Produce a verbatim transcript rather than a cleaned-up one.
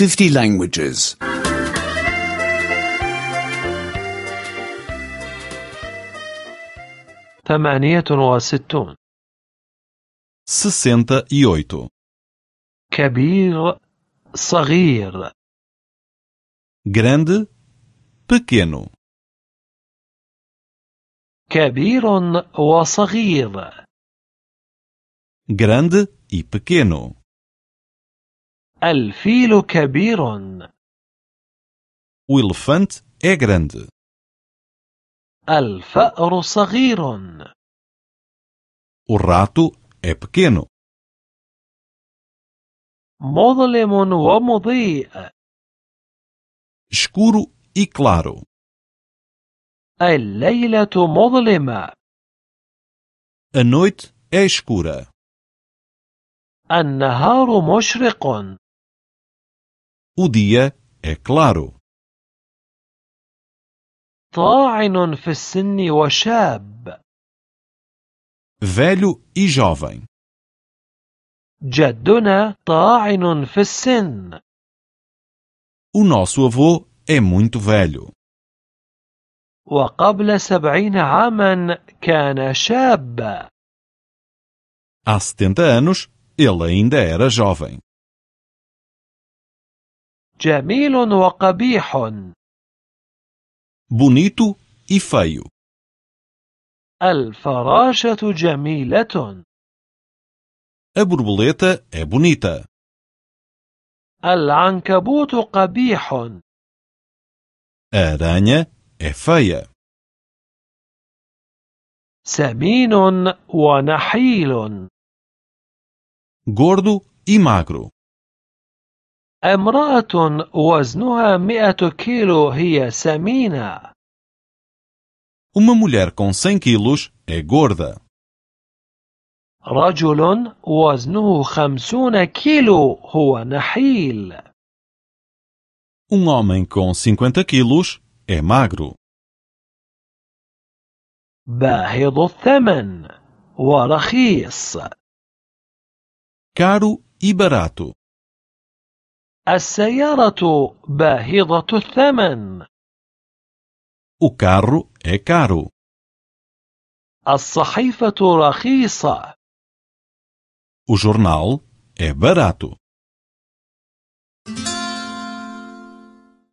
fifty languages. ثمانية وستون. sessenta e oito. كبير صغير. Grande, pequeno. كبير وصغير. Grande e pequeno. الفيل كبير. O elefante é grande. الفأر صغير. O rato é pequeno. مظلم ومضيء. Escuro e claro. الليلة مظلمة. A noite é escura. النهار مشرق. O dia é claro. طاعن في السن وشاب. Velho e jovem. جدنا طاعن في السن. O nosso avô é muito velho. وقبل سبعين عاما كان شابا. Há setenta anos, ele ainda era jovem. جميل وقبيح. Bonito e feio. الفراشة جميلة. A borboleta é bonita. العنكبوت قبيح. A aranha é feia. سمين ونحيل. Gordo e magro. امرأة وزنها مئة كيلو هي سمينة. Uma mulher com cem quilos é gorda. رجل وزنه خمسون كيلو هو نحيل. Um homem com cinquenta quilos é magro. باهظ الثمن ورخيص. Caro e barato. السيارة باهظة الثمن. O carro é caro. الصحيفة رخيصة. O jornal é barato.